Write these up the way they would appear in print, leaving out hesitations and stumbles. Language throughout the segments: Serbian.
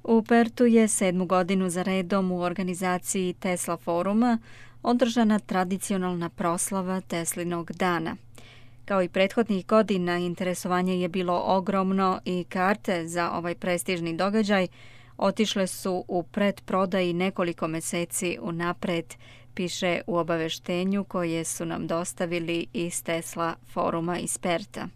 U Pertu je 7. godinu za redom u organizaciji Tesla foruma održana tradicionalna proslava Teslinog dana. Kao i prethodnih godina, interesovanje je bilo ogromno i karte za ovaj prestižni događaj otišle su u predprodaji nekoliko meseci unapred, piše u obaveštenju koje su nam dostavili iz Tesla foruma iz Perta.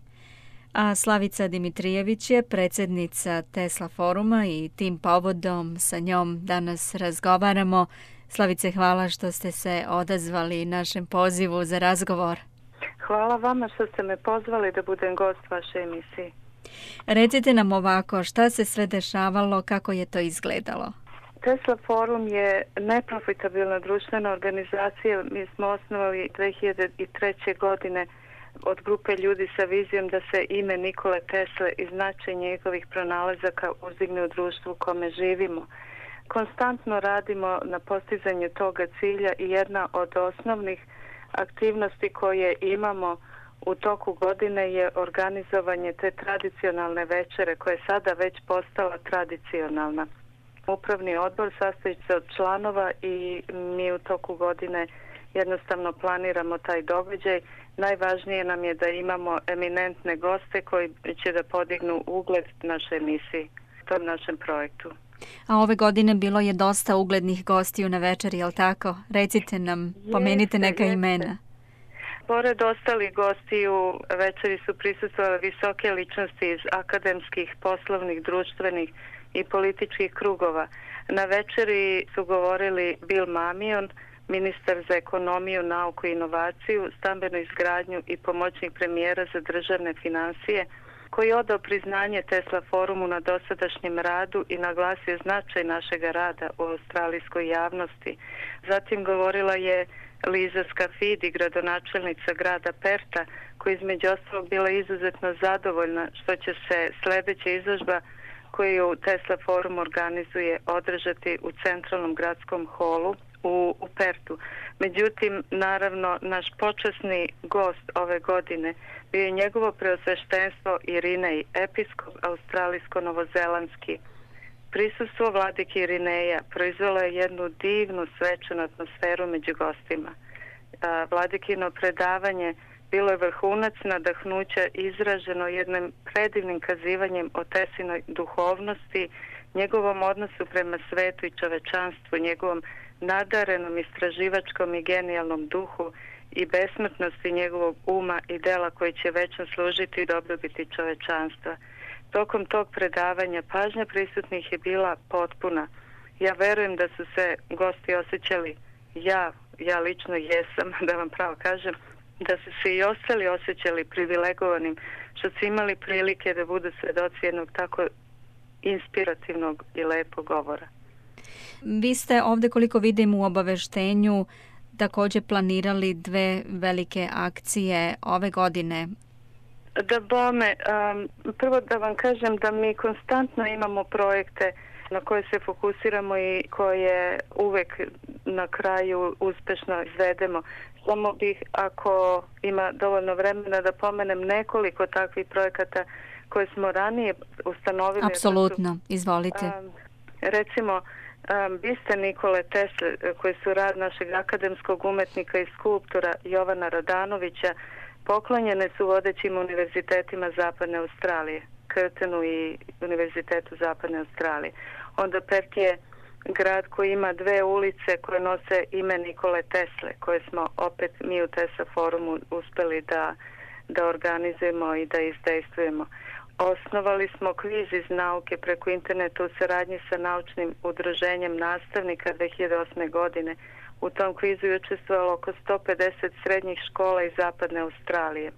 A Slavica Dimitrijević je predsjednica Tesla foruma i tim povodom sa njom danas razgovaramo. Slavice, hvala što ste se odazvali našem pozivu za razgovor. Hvala vama što ste me pozvali da budem gost vaše emisije. Recite nam ovako, šta se sve dešavalo, kako je to izgledalo? Tesla forum je neprofitabilna društvena organizacija. Mi smo osnovali 2003. godine od grupe ljudi sa vizijom da se ime Nikole Tesle i značaj njegovih pronalazaka uzdigne u društvu u kome živimo. Konstantno radimo na postizanju toga cilja i jedna od osnovnih aktivnosti koje imamo u toku godine je organizovanje te tradicionalne večere koja je sada već postala tradicionalna. Upravni odbor sastoji se od članova i mi u toku godine jednostavno planiramo taj događaj. Najvažnije nam je da imamo eminentne goste koji će da podignu ugled naše emisiji, tom našem projektu. A ove godine bilo je dosta uglednih gostiju na večeri, je li tako? Recite nam, pomenite neka imena. Pored ostalih gostiju, večeri su prisustvovale visoke ličnosti iz akademskih, poslovnih, društvenih i političkih krugova. Na večeri su govorili Bill Mamion, ministar za ekonomiju, nauku i inovaciju, stambenu izgradnju i pomoćnik premijera za državne finansije, koji je odao priznanje Tesla forumu na dosadašnjem radu i naglasio značaj našega rada u australijskoj javnosti. Zatim govorila je Liza Scafidi, gradonačelnica grada Perta, koja između ostalog bila izuzetno zadovoljna što će se sljedeća izložba koju Tesla forum organizuje održati u centralnom gradskom holu u Pertu. Međutim, naravno, naš počasni gost ove godine bio je njegovo preosveštenstvo Irinej, episkop australijsko-novozelandski. Prisustvo vladike Irineja proizvelo je jednu divnu svečanu atmosferu među gostima. Vladikino predavanje bilo je vrhunac nadahnuća izraženo jednim predivnim kazivanjem o Teslinoj duhovnosti, njegovom odnosu prema svetu i čovečanstvu, njegovom nadarenom istraživačkom i genijalnom duhu i besmrtnosti njegovog uma i dela koji će večno služiti i dobrobiti čovečanstva. Tokom tog predavanja pažnja prisutnih je bila potpuna. Ja verujem da su se gosti osjećali, ja lično jesam, da vam pravo kažem, da su se i ostali osjećali privilegovanim, što su imali prilike da budu svedoci jednog tako inspirativnog i lepog govora. Vi ste ovdje, koliko vidim u obaveštenju, također planirali 2 velike akcije ove godine. Da bome, prvo da vam kažem da mi konstantno imamo projekte na koje se fokusiramo i koje uvek na kraju uspešno izvedemo. Samo bih, ako ima dovoljno vremena, da pomenem nekoliko takvih projekata koje smo ranije ustanovili. Apsolutno, izvolite. Recimo, biste Nikole Tesle, koji su rad našeg akademskog umetnika i skulptora Jovana Radanovića, poklonjene su vodećim univerzitetima Zapadne Australije, Curtinu i Univerzitetu Zapadne Australije. Onda Perth je grad koji ima 2 ulice koje nose ime Nikole Tesle, koje smo opet mi u Tesla forumu uspeli da organizujemo i da izdejstvujemo. Osnovali smo kviz iz nauke preko interneta u saradnji sa naučnim udruženjem nastavnika 2008. godine. U tom kvizu je učestvovalo oko 150 srednjih škola iz Zapadne Australije.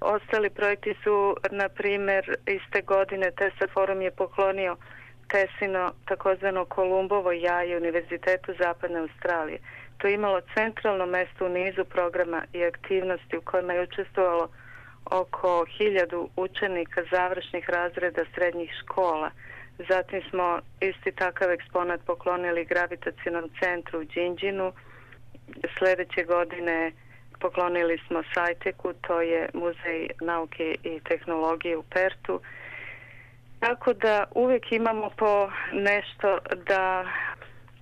Ostali projekti su, na primjer, iste godine Tesla forum je poklonio Teslino takozvano Kolumbovo jaje Univerzitetu Zapadne Australije. To je imalo centralno mesto u nizu programa i aktivnosti u kojima je učestvovalo oko 1000 učenika završnih razreda srednjih škola. Zatim smo isti takav eksponat poklonili gravitacionom centru u Đinđinu. Sljedeće godine poklonili smo Sajteku, to je muzej nauke i tehnologije u Pertu. Tako da uvijek imamo po nešto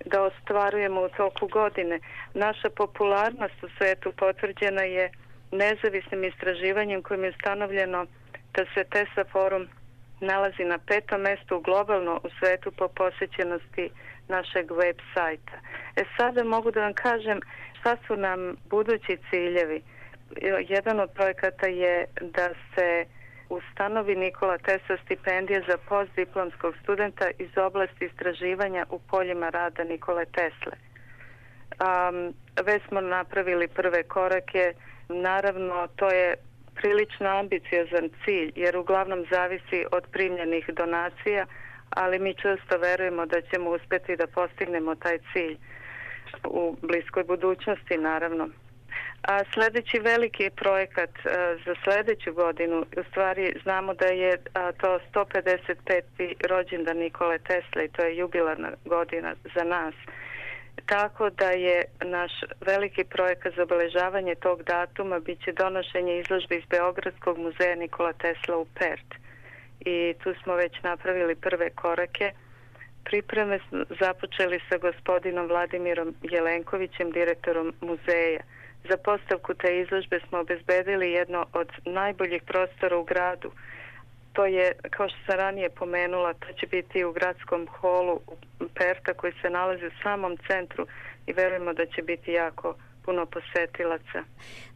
da ostvarujemo u toku godine. Naša popularnost u svijetu potvrđena je nezavisnim istraživanjem kojim je ustanovljeno da se Tesla forum nalazi na 5. mjestu globalno u svijetu po posjećenosti našeg web sajta. Sada mogu da vam kažem šta su nam budući ciljevi. Jedan od projekata je da se ustanovi Nikola Tesla stipendija za postdiplomskog studenta iz oblasti istraživanja u poljima rada Nikole Tesle. Već smo napravili prve korake. Naravno, to je prilično ambiciozan cilj, jer uglavnom zavisi od primljenih donacija, ali mi često verujemo da ćemo uspjeti da postignemo taj cilj u bliskoj budućnosti, naravno. A sljedeći veliki projekat za sljedeću godinu, u stvari znamo da je to 155. rođendan Nikole Tesle i to je jubilarna godina za nas. Tako da je naš veliki projekat za obeležavanje tog datuma bit će donošenje izložbe iz Beogradskog muzeja Nikola Tesla u Perth. I tu smo već napravili prve korake. Pripreme smo započeli sa gospodinom Vladimirom Jelenkovićem, direktorom muzeja. Za postavku te izložbe smo obezbedili jedno od najboljih prostora u gradu. To je, kao što sam ranije pomenula, to će biti u gradskom holu Perta koji se nalazi u samom centru i verujemo da će biti jako puno posetilaca.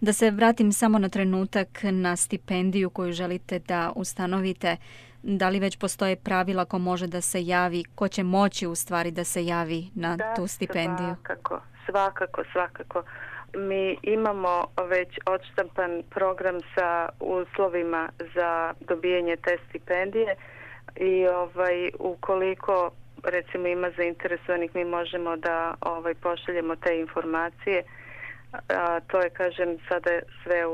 Da se vratim samo na trenutak na stipendiju koju želite da ustanovite. Da li već postoje pravila ko može da se javi, ko će moći u stvari da se javi na tu stipendiju? Svakako. Mi imamo već odštampan program sa uslovima za dobijanje te stipendije i ukoliko recimo ima zainteresovanih, mi možemo da pošaljemo te informacije. To je, kažem, sada sve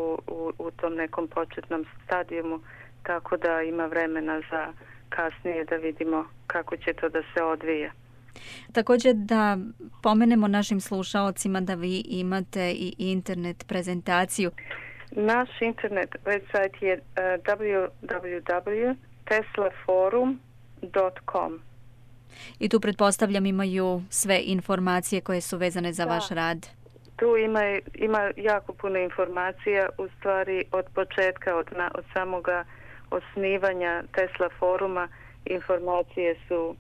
u tom nekom početnom stadijumu, tako da ima vremena za kasnije da vidimo kako će to da se odvija. Također da pomenemo našim slušaocima da vi imate i internet prezentaciju. Naš internet website je www.teslaforum.com. I tu pretpostavljam imaju sve informacije koje su vezane za vaš rad. Tu ima jako puno informacija, u stvari od početka, od samoga osnivanja Tesla foruma. Informacije su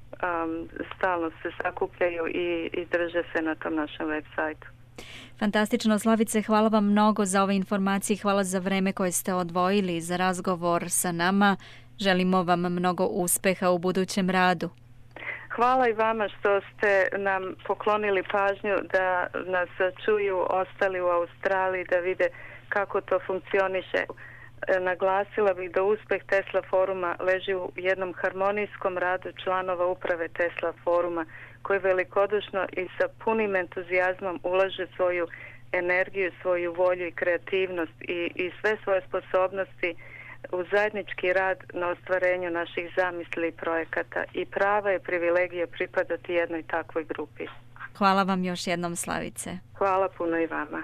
stalno se sakupljaju i drže se na tom našem web sajtu. Fantastično, Slavice, hvala vam mnogo za ove informacije, hvala za vreme koje ste odvojili za razgovor sa nama. Želimo vam mnogo uspeha u budućem radu. Hvala i vama što ste nam poklonili pažnju da nas čuju ostali u Australiji, da vide kako to funkcioniše. Naglasila bih da uspeh Tesla foruma leži u jednom harmonijskom radu članova uprave Tesla foruma koji velikodušno i sa punim entuzijazmom ulaže svoju energiju, svoju volju i kreativnost i sve svoje sposobnosti u zajednički rad na ostvarenju naših zamisli i projekata. I prava je privilegija pripadati jednoj takvoj grupi. Hvala vam još jednom, Slavice. Hvala puno i vama.